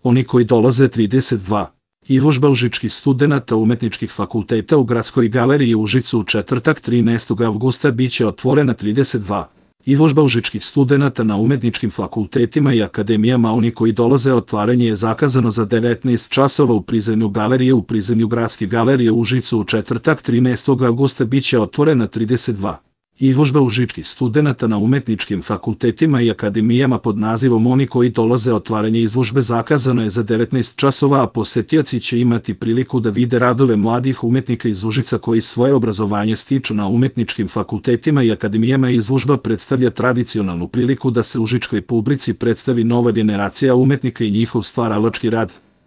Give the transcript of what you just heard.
Oni koji dolaze 32. Izložba užičkih studenata umetničkih fakulteta u Gradskoj galeriji u Užicu u četvrtak 13. avgusta biće otvorena 32. Izložba užičkih studenata na umetničkim fakultetima i akademijama. Oni koji dolaze, otvaranje je zakazano za 19 časova u prizemlju galerije. U prizemlju Gradske galerije u Užicu u četvrtak 13. avgusta biće otvorena 32. Izložba užičkih studenata na umetničkim fakultetima i akademijama pod nazivom Oni koji dolaze. Otvaranje izložbe zakazano je za 19 časova, a posetioci će imati priliku da vide radove mladih umetnika iz Užica koji svoje obrazovanje stiču na umetničkim fakultetima i akademijama. Izložba predstavlja tradicionalnu priliku da se užičkoj publici predstavi nova generacija umetnika i njihov stvaralački rad.